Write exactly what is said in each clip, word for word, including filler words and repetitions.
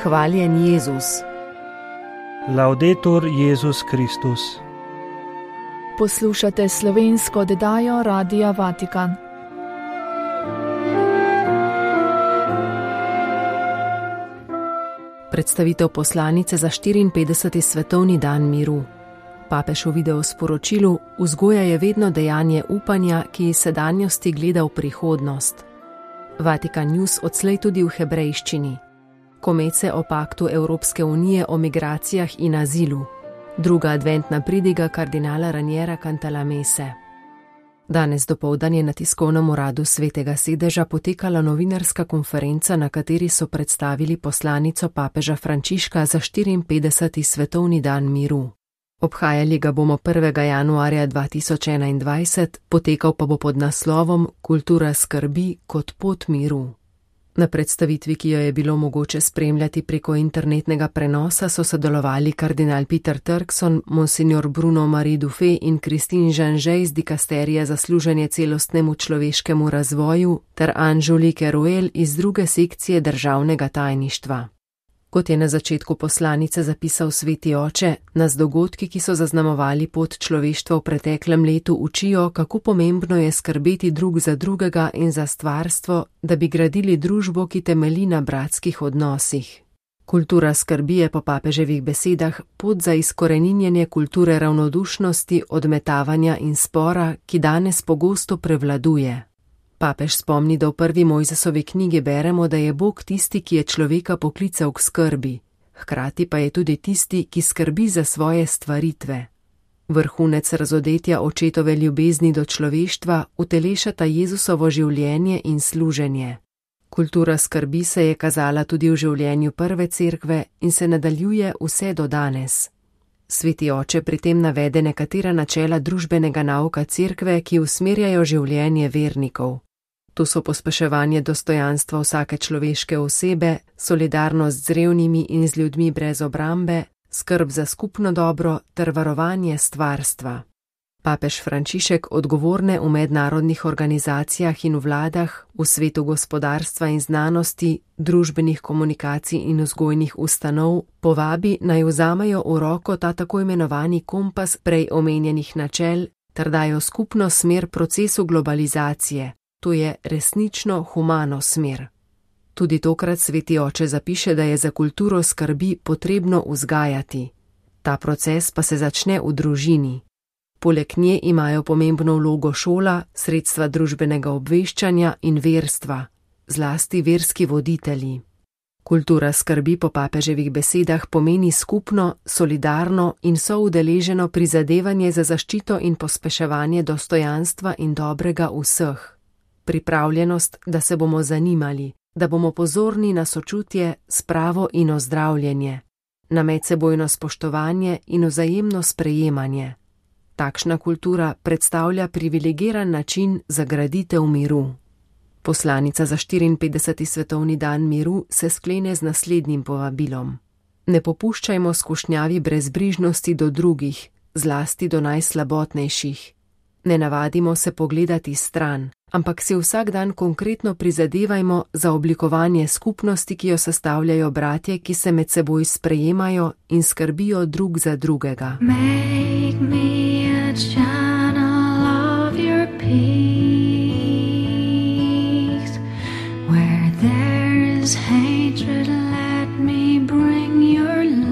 Hvaljen Jezus. Laudetur Jezus Kristus. Poslušate slovensko oddajo Radia Vatikan. Predstavitev poslanice za štiriinpetdeseti svetovni dan miru. Papež v videosporočilu: vzgoja je vedno dejanje upanja, ki iz sedanjosti gleda v prihodnost. Vatikan News odslej tudi v hebrejščini. Komece o paktu Evropske unije o migracijah in azilu. Druga adventna pridiga kardinala Raniera Cantalamesse. Danes dopoldan je na tiskovnem uradu Svetega sedeža potekala novinarska konferenca, na kateri so predstavili poslanico papeža Frančiška za štiriinpetdeseti svetovni dan miru. Obhajali ga bomo prvega januarja dva tisoč enaindvajset, potekal pa bo pod naslovom Kultura skrbi kot pot miru. Na predstavitvi, ki jo je bilo mogoče spremljati preko internetnega prenosa, so sodelovali kardinal Peter Turkson, monsignor Bruno Marie Dufay in Christine Janžej iz dikasterija za služenje celostnemu človeškemu razvoju ter Angelique Ruel iz druge sekcije državnega tajništva. Kot je na začetku poslanice zapisal Sveti oče, nas dogodki, ki so zaznamovali pot človeštva v preteklem letu, učijo, kako pomembno je skrbeti drug za drugega in za stvarstvo, da bi gradili družbo, ki temelji na bratskih odnosih. Kultura skrbi je po papeževih besedah pot za izkoreninjenje kulture ravnodušnosti, odmetavanja in spora, ki danes pogosto prevladuje. Papež spomni, da v prvi Mojzesovi knjigi beremo, da je Bog tisti, ki je človeka poklical k skrbi, hkrati pa je tudi tisti, ki skrbi za svoje stvaritve. Vrhunec razodetja očetove ljubezni do človeštva utelešata Jezusovo življenje in služenje. Kultura skrbi se je kazala tudi v življenju prve cerkve in se nadaljuje vse do danes. Sveti oče pri tem navede nekatera načela družbenega nauka cerkve, ki usmerjajo življenje vernikov. To so pospeševanje dostojanstva vsake človeške osebe, solidarnost z revnimi in z ljudmi brez obrambe, skrb za skupno dobro ter varovanje stvarstva. Papež Frančišek odgovorne v mednarodnih organizacijah in vladah, v svetu gospodarstva in znanosti, družbenih komunikacij in vzgojnih ustanov povabi, naj vzamejo v roko ta tako imenovani kompas prej omenjenih načel ter dajo skupno smer procesu globalizacije, to je resnično humano smer. Tudi tokrat Sveti oče zapiše, da je za kulturo skrbi potrebno vzgajati. Ta proces pa se začne v družini. Poleg nje imajo pomembno vlogo šola, sredstva družbenega obveščanja in verstva, zlasti verski voditelji. Kultura skrbi po papeževih besedah pomeni skupno, solidarno in soudeleženo prizadevanje za zaščito in pospeševanje dostojanstva in dobrega vseh. Pripravljenost, da se bomo zanimali, da bomo pozorni na sočutje, spravo in ozdravljenje, na medsebojno spoštovanje in vzajemno sprejemanje. Takšna kultura predstavlja privilegiran način za graditev miru. Poslanica za štiriinpetdeseti svetovni dan miru se sklene z naslednjim povabilom. Ne popuščajmo skušnjavi brezbrižnosti do drugih, zlasti do najslabotnejših. Ne navadimo se pogledati stran, ampak si vsak dan konkretno prizadevajmo za oblikovanje skupnosti, ki jo sestavljajo bratje, ki se med seboj sprejemajo in skrbijo drug za drugega. Make me a channel of your peace. Where there is hatred, let me bring your love.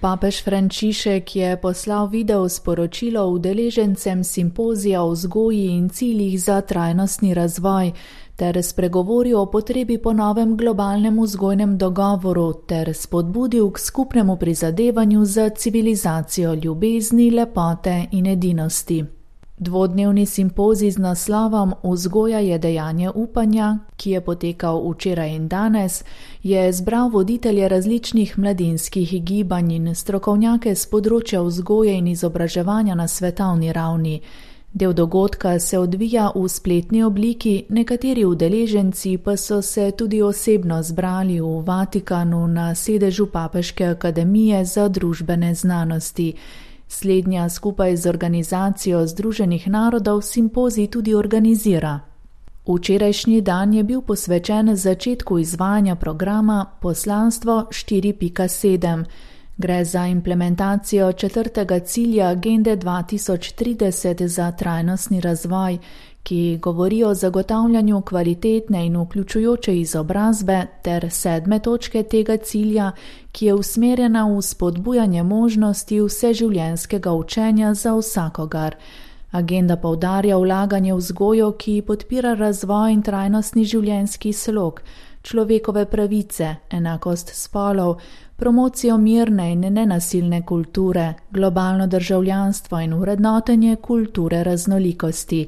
Papež Frančišek je poslal video sporočilo udeležencem simpozija o vzgoji in ciljih za trajnostni razvoj ter spregovoril o potrebi po novem globalnem vzgojnem dogovoru ter spodbudil k skupnemu prizadevanju za civilizacijo ljubezni, lepote in edinosti. Dvodnevni simpozij z naslovom Vzgoja je dejanje upanja, ki je potekal včeraj in danes, je zbral voditelje različnih mladinskih gibanj in strokovnjake z področja vzgoje in izobraževanja na svetovni ravni. Del dogodka se odvija v spletni obliki, nekateri udeleženci pa so se tudi osebno zbrali v Vatikanu na sedežu Papeške akademije za družbene znanosti. Slednja skupaj z organizacijo Združenih narodov simpozij tudi organizira. Včerajšnji dan je bil posvečen začetku izvajanja programa Poslanstvo štiri pika sedem. Gre za implementacijo četrtega cilja Agende dva tisoč trideset za trajnostni razvoj, ki govori o zagotavljanju kvalitetne in vključujoče izobrazbe, ter sedme točke tega cilja, ki je usmerjena v spodbujanje možnosti vseživljenjskega učenja za vsakogar. Agenda poudarja vlaganje v vzgojo, ki podpira razvoj in trajnostni življenjski slog, človekove pravice, enakost spolov, promocijo mirne in nenasilne kulture, globalno državljanstvo in vrednotenje kulture raznolikosti.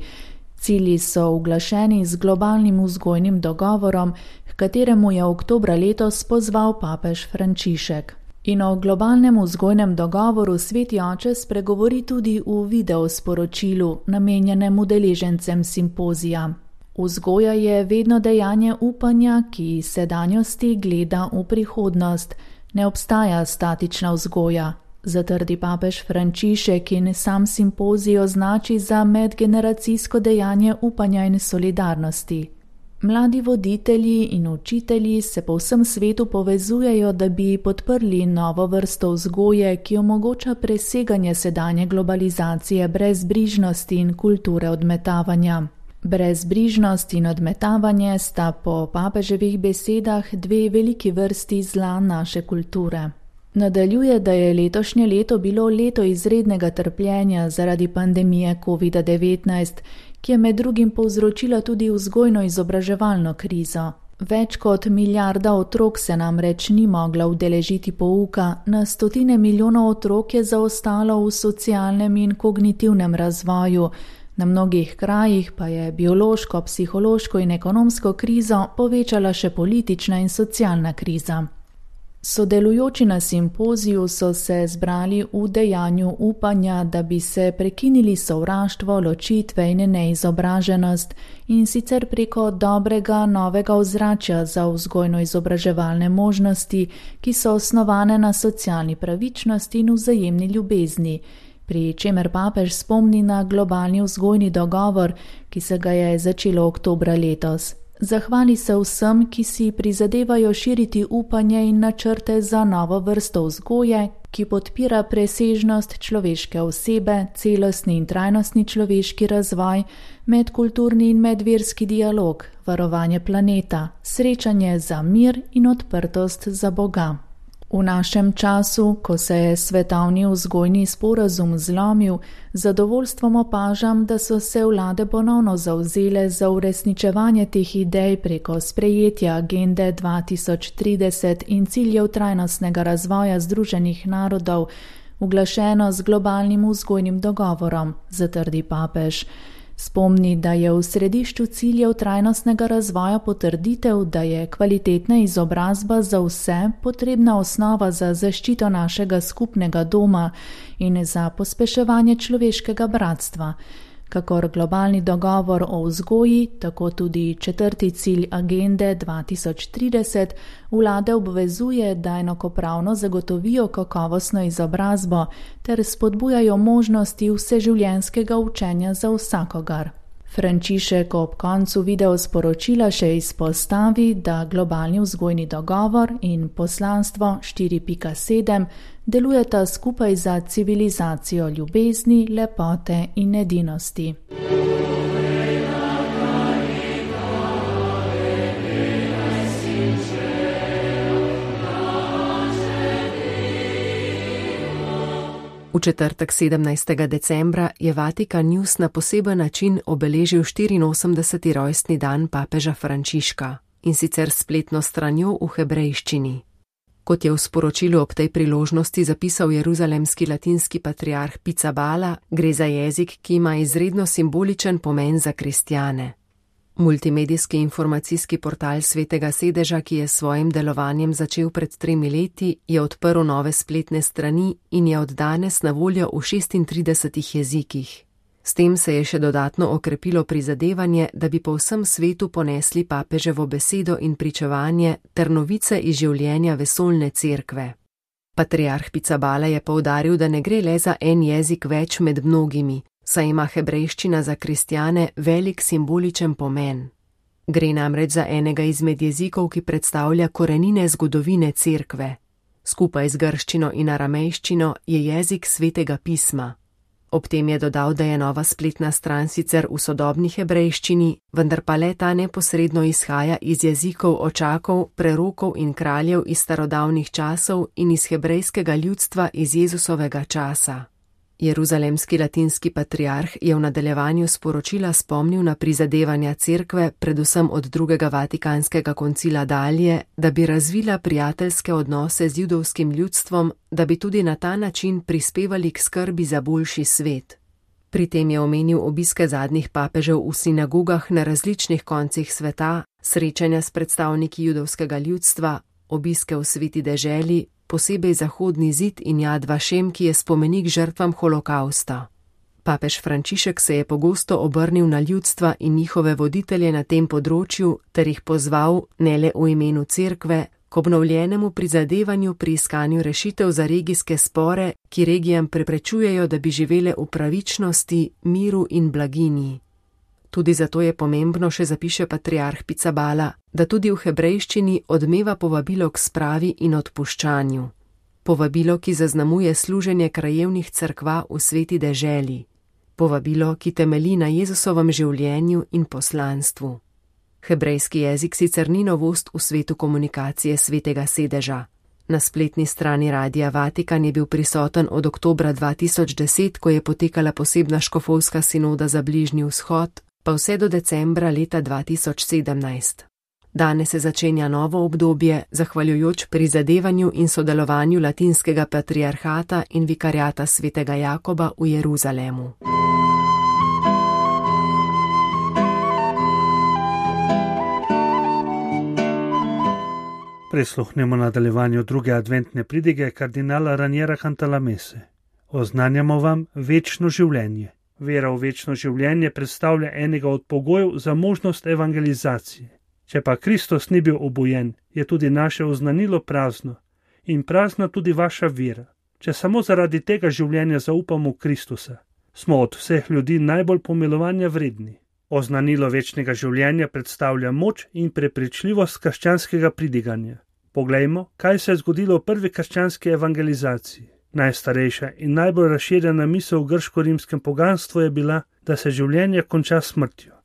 Cilji so uglašeni z globalnim vzgojnim dogovorom, h kateremu je oktobra letos pozval papež Frančišek. In o globalnem vzgojnem dogovoru Sveti oče spregovori tudi v videosporočilu, namenjenem udeležencem simpozija. Vzgoja je vedno dejanje upanja, ki sedanjosti gleda v prihodnost. Ne obstaja statična vzgoja, zatrdi papež Frančišek in sam simpozij označi za medgeneracijsko dejanje upanja in solidarnosti. Mladi voditelji in učitelji se po vsem svetu povezujejo, da bi podprli novo vrsto vzgoje, ki omogoča preseganje sedanje globalizacije brezbrižnosti in kulture odmetavanja. Brezbrižnost in odmetavanje sta po papeževih besedah dve veliki vrsti zla naše kulture. Nadaljuje, da je letošnje leto bilo leto izrednega trpljenja zaradi pandemije covid devetnajst, ki je med drugim povzročila tudi vzgojno-izobraževalno krizo. Več kot milijarda otrok se namreč ni mogla udeležiti pouka, na stotine milijonov otrok je zaostalo v socialnem in kognitivnem razvoju, na mnogih krajih pa je biološko, psihološko in ekonomsko krizo povečala še politična in socialna kriza. Sodelujoči na simpoziju so se zbrali v dejanju upanja, da bi se prekinili sovraštvo, ločitve in neizobraženost, in sicer preko dobrega novega ozračja za vzgojno-izobraževalne možnosti, ki so osnovane na socialni pravičnosti in vzajemni ljubezni, pri čemer papež spomni na globalni vzgojni dogovor, ki se ga je začelo oktobra letos. Zahvali se vsem, ki si prizadevajo širiti upanje in načrte za novo vrsto vzgoje, ki podpira presežnost človeške osebe, celostni in trajnostni človeški razvoj, medkulturni in medverski dialog, varovanje planeta, srečanje za mir in odprtost za Boga. V našem času, ko se je svetovni vzgojni sporazum zlomil, z zadovoljstvom opažam, da so se vlade ponovno zavzele za uresničevanje teh idej preko sprejetja agende dva tisoč trideset in ciljev trajnostnega razvoja Združenih narodov, uglašeno z globalnim vzgojnim dogovorom, zatrdi papež. Spomni, da je v središču ciljev trajnostnega razvoja potrditev, da je kvalitetna izobrazba za vse potrebna osnova za zaščito našega skupnega doma in za pospeševanje človeškega bratstva. Kakor globalni dogovor o vzgoji, tako tudi četrti cilj agende dva tisoč trideset vlade obvezuje, da enakopravno zagotovijo kakovostno izobrazbo ter spodbujajo možnosti vseživljenjskega učenja za vsakogar. Frančišek ob koncu videosporočila še izpostavi, da globalni vzgojni dogovor in poslanstvo štiri pika sedem delujeta skupaj za civilizacijo ljubezni, lepote in edinosti. V četrtek sedemnajstega decembra je Vatikan News na poseben način obeležil štiriinosemdeseti rojstni dan papeža Frančiška, in sicer spletno stranjo v hebrejščini. Kot je v sporočilu ob tej priložnosti zapisal jeruzalemski latinski patriarh Pizzaballa, gre za jezik, ki ima izredno simboličen pomen za kristjane. Multimedijski informacijski portal Svetega sedeža, ki je s svojim delovanjem začel pred tremi leti, je odprl nove spletne strani in je od danes na voljo v šestintridesetih jezikih. S tem se je še dodatno okrepilo prizadevanje, da bi po vsem svetu ponesli papeževo besedo in pričevanje ter novice iz življenja vesoljne cerkve. Patriarh Pizzaballa je poudaril, da ne gre le za en jezik več med mnogimi, saj ima hebrejščina za kristjane velik simboličen pomen. Gre namreč za enega izmed jezikov, ki predstavlja korenine zgodovine Cerkve. Skupaj z grščino in aramejščino je jezik svetega pisma. Ob tem je dodal, da je nova spletna stran sicer v sodobni hebrejščini, vendar pa le ta neposredno izhaja iz jezikov očakov, prerokov in kraljev iz starodavnih časov in iz hebrejskega ljudstva iz Jezusovega časa. Jeruzalemski latinski patriarh je v nadaljevanju sporočila spomnil na prizadevanja Cerkve, predvsem od drugega vatikanskega koncila dalje, da bi razvila prijateljske odnose z judovskim ljudstvom, da bi tudi na ta način prispevali k skrbi za boljši svet. Pri tem je omenil obiske zadnjih papežev v sinagogah na različnih koncih sveta, srečanja s predstavniki judovskega ljudstva, obiske v sveti deželi, posebej Zahodni zid in Jad Vašem, ki je spomenik žrtvam holokausta. Papež Frančišek se je pogosto obrnil na ljudstva in njihove voditelje na tem področju ter jih pozval, ne le v imenu Cerkve, k obnovljenemu prizadevanju pri iskanju rešitev za regijske spore, ki regijam preprečujejo, da bi živele v pravičnosti, miru in blaginji. Tudi zato je pomembno, še zapiše patriarh Pizzaballa, da tudi v hebrejščini odmeva povabilo k spravi in odpuščanju. Povabilo, ki zaznamuje služenje krajevnih cerkva v sveti deželi. Povabilo, ki temelji na Jezusovem življenju in poslanstvu. Hebrejski jezik sicer ni novost v svetu komunikacije svetega sedeža. Na spletni strani Radia Vatikan je bil prisoten od oktobra dva tisoč deset, ko je potekala posebna škofovska sinoda za Bližnji vzhod, pa vse do decembra leta dva tisoč sedemnajst. Danes se začenja novo obdobje, zahvaljujoč prizadevanju in sodelovanju latinskega patriarhata in vikariata svetega Jakoba v Jeruzalemu. Prisluhnemo nadaljevanju druge adventne pridige kardinala Raniera Cantalamesse. Oznanjamo vam večno življenje. Vera v večno življenje predstavlja enega od pogojev za možnost evangelizacije. Če pa Kristus ni bil obojen, je tudi naše oznanilo prazno in prazna tudi vaša vera. Če samo zaradi tega življenja zaupamo v Kristusa, smo od vseh ljudi najbolj pomilovanja vredni. Oznanilo večnega življenja predstavlja moč in prepričljivost krščanskega pridiganja. Poglejmo, kaj se je zgodilo v prvi krščanski evangelizaciji. Najstarejša in najbolj razširjena misel v grško-rimskem poganstvu je bila, da se življenje konča smrtjo.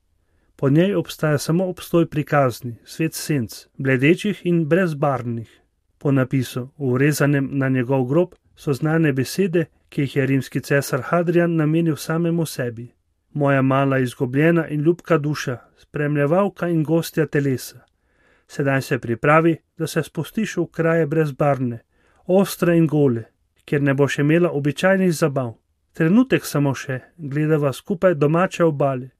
Po njej obstaja samo obstoj prikazni, svet senc, bledečih in brezbarvnih. Po napisu, urezanem na njegov grob, so znane besede, ki jih je rimski cesar Hadrian namenil samemu sebi. Moja mala izgubljena in ljubka duša, spremljevalka in gostja telesa. Sedaj se pripravi, da se spustiš v kraje brezbarvne, ostre in gole, kjer ne boš imela običajnih zabav. Trenutek samo še, gledava skupaj domače obale,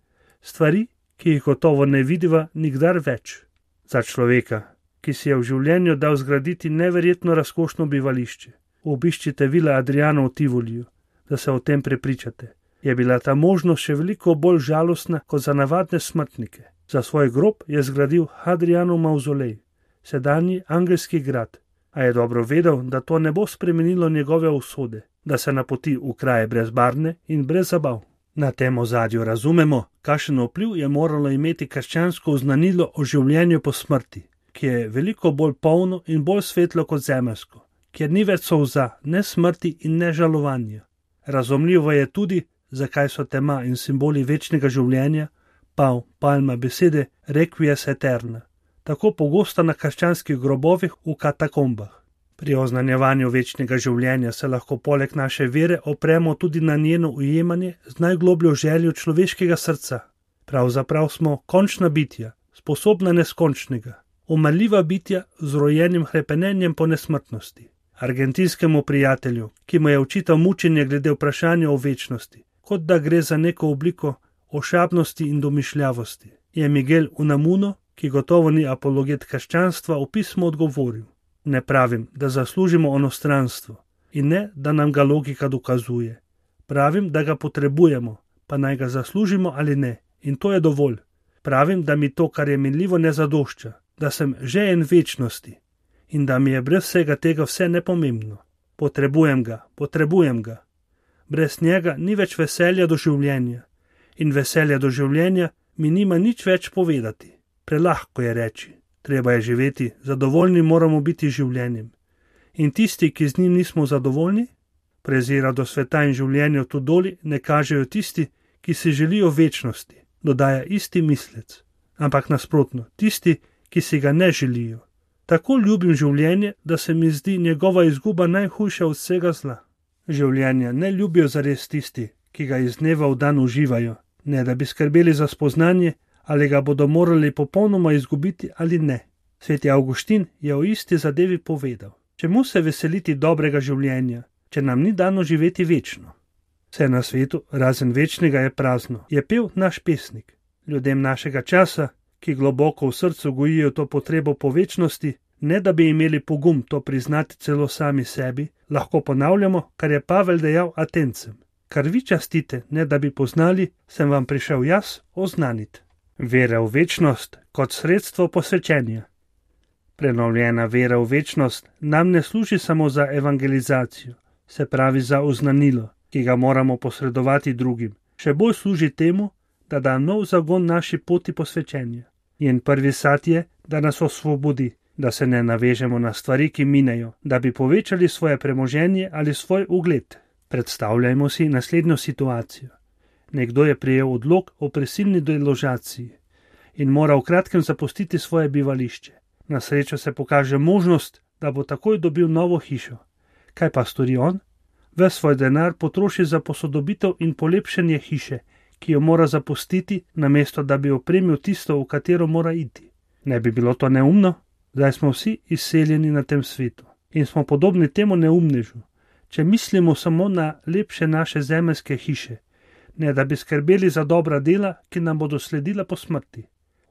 stvari, ki jih gotovo ne vidiva nikdar več. Za človeka, ki si je v življenju dal zgraditi neverjetno razkošno bivališče, obiščite Vila Adriano v Tivoliju, da se o tem prepričate. Je bila ta možnost še veliko bolj žalostna kot za navadne smrtnike. Za svoj grob je zgradil Hadrianov mavzolej, sedanji angelski grad, a je dobro vedel, da to ne bo spremenilo njegove usode, da se napoti v kraje brezbarvne in brez zabav. Na tem ozadju razumemo, kakšen vpliv je moralo imeti krščansko oznanilo o življenju po smrti, ki je veliko bolj polno in bolj svetlo kot zemeljsko, kjer ni več solza, ne smrti in ne žalovanja. Razumljivo je tudi, zakaj so tema in simboli večnega življenja, pav, palma besede, requies eterna, tako pogosta na krščanskih grobovih v katakombah. Pri oznanjevanju večnega življenja se lahko poleg naše vere opremo tudi na njeno ujemanje z najglobljo željo človeškega srca. Pravzaprav smo končna bitja, sposobna neskončnega, umrljiva bitja z rojenim hrepenenjem po nesmrtnosti. Argentinskemu prijatelju, ki mu je očital mučenje glede vprašanja o večnosti, kot da gre za neko obliko ošabnosti in domišljavosti, je Miguel Unamuno, ki gotovo ni apologet krščanstva, v pismu odgovoril: ne pravim, da zaslužimo onostranstvo in ne, da nam ga logika dokazuje. Pravim, da ga potrebujemo, pa naj ga zaslužimo ali ne, in to je dovolj. Pravim, da mi to, kar je minljivo, ne zadošča, da sem že en večnosti in da mi je brez vsega tega vse nepomembno. Potrebujem ga, potrebujem ga. Brez njega ni več veselja do življenja in veselja do življenja mi nima nič več povedati. prelahko je reči, treba je živeti, zadovoljni moramo biti življenjem. In tisti, ki z njim nismo zadovoljni, prezira do sveta in življenja tu doli, ne kažejo tisti, ki si želijo večnosti, dodaja isti mislec. Ampak nasprotno, tisti, ki si ga ne želijo. Tako ljubim življenje, da se mi zdi njegova izguba najhujša od vsega zla. Življenja ne ljubijo zares tisti, ki ga iz dneva v dan uživajo, ne da bi skrbeli za spoznanje, ali ga bodo morali popolnoma izgubiti ali ne. Sveti Avguštin je o isti zadevi povedal. Čemu se veseliti dobrega življenja, če nam ni dano živeti večno? Vse na svetu, razen večnega, je prazno, je pel naš pesnik. Ljudem našega časa, ki globoko v srcu gojijo to potrebo po večnosti, ne da bi imeli pogum to priznati celo sami sebi, lahko ponavljamo, kar je Pavel dejal Atencem. Kar vi častite, ne da bi poznali, sem vam prišel jaz oznaniti. Vera v večnost kot sredstvo posvečenja. Prenovljena vera v večnost nam ne služi samo za evangelizacijo, se pravi za oznanilo, ki ga moramo posredovati drugim. Še bolj služi temu, da da nov zagon naši poti posvečenja. Njen prvi sad je, da nas osvobodi, da se ne navežemo na stvari, ki minejo, da bi povečali svoje premoženje ali svoj ugled. Predstavljajmo si naslednjo situacijo. Nekdo je prejel odlog o prisilni deložaciji in mora v kratkem zapustiti svoje bivališče. Na srečo se pokaže možnost, da bo takoj dobil novo hišo. Kaj pa stori on? Ves svoj denar potroši za posodobitev in polepšanje hiše, ki jo mora zapustiti, namesto da bi opremil tisto, v katero mora iti. Ne bi bilo to neumno? Zdaj smo vsi izseljeni na tem svetu in smo podobni temu neumnežu, če mislimo samo na lepše naše zemeljske hiše, ne da bi skrbeli za dobra dela, ki nam bodo sledila po smrti.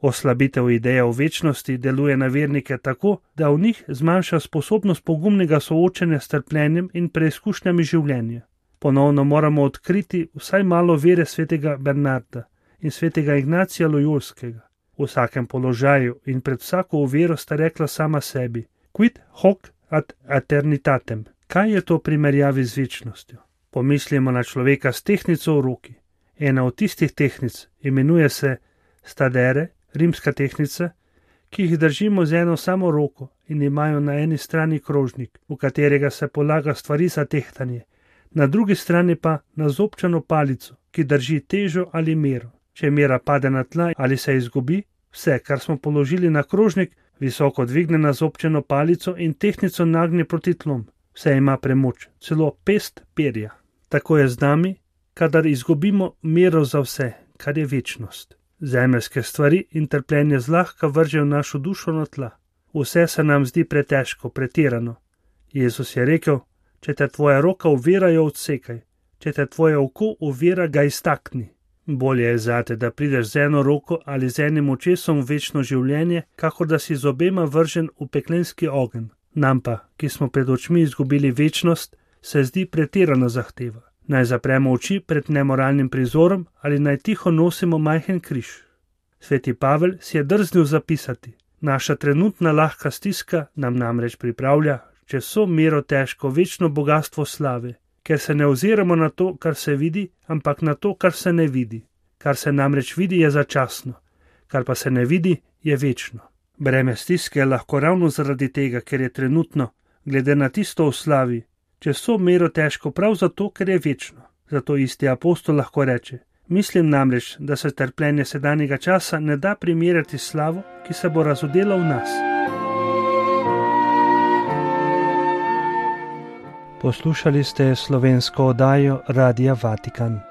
Oslabitev ideje o večnosti deluje na vernike tako, da v njih zmanjša sposobnost pogumnega soočenja s trpljenjem in preizkušnjami življenja. Ponovno moramo odkriti vsaj malo vere svetega Bernarda in svetega Ignacija Lojolskega. V vsakem položaju in pred vsako oviro sta rekla sama sebi: Quid hoc ad eternitatem. Kaj je to v primerjavi z večnostjo? Pomislimo na človeka s tehtnico v roki. Ena od tistih tehtnic imenuje se stadere, rimska tehtnica, ki jih držimo z eno samo roko in imajo na eni strani krožnik, v katerega se polaga stvari za tehtanje, na drugi strani pa nazobčano palico, ki drži težo ali mero. Če mera pade na tla ali se izgubi, vse, kar smo položili na krožnik, visoko dvigne nazobčeno palico in tehtnico nagne proti tlom. Vse ima premoč, celo pest perja. Tako je z nami, kadar izgubimo mero za vse, kar je večnost. Zemeljske stvari in trpljenje zlahka vržejo našo dušo na tla. Vse se nam zdi pretežko, pretirano. Jezus je rekel: če te tvoja roka ovira, jo odsekaj, če te tvoje oko ovira, ga iztakni. Bolje je zate, da prideš z eno roko ali z enim očesom v večno življenje, kakor da si z obema vržen v peklenski ogenj. Nam pa, ki smo pred očmi izgubili večnost, se zdi pretirana zahteva. Naj zapremo oči pred nemoralnim prizorom ali naj tiho nosimo majhen križ. Sveti Pavel si je drznil zapisati: naša trenutna lahka stiska nam namreč pripravlja čez vso mero težko večno bogastvo slave, ker se ne oziramo na to, kar se vidi, ampak na to, kar se ne vidi. Kar se namreč vidi, je začasno, kar pa se ne vidi, je večno. Breme stiske je lahko ravno zaradi tega, ker je trenutno, glede na tisto v slavi, čez vso mero težko prav zato, ker je večno. Zato isti apostol lahko reče: mislim namreč, da se trpljenje sedanjega časa ne da primerjati s slavo, ki se bo razodela v nas. Poslušali ste slovensko oddajo Radia Vatikan.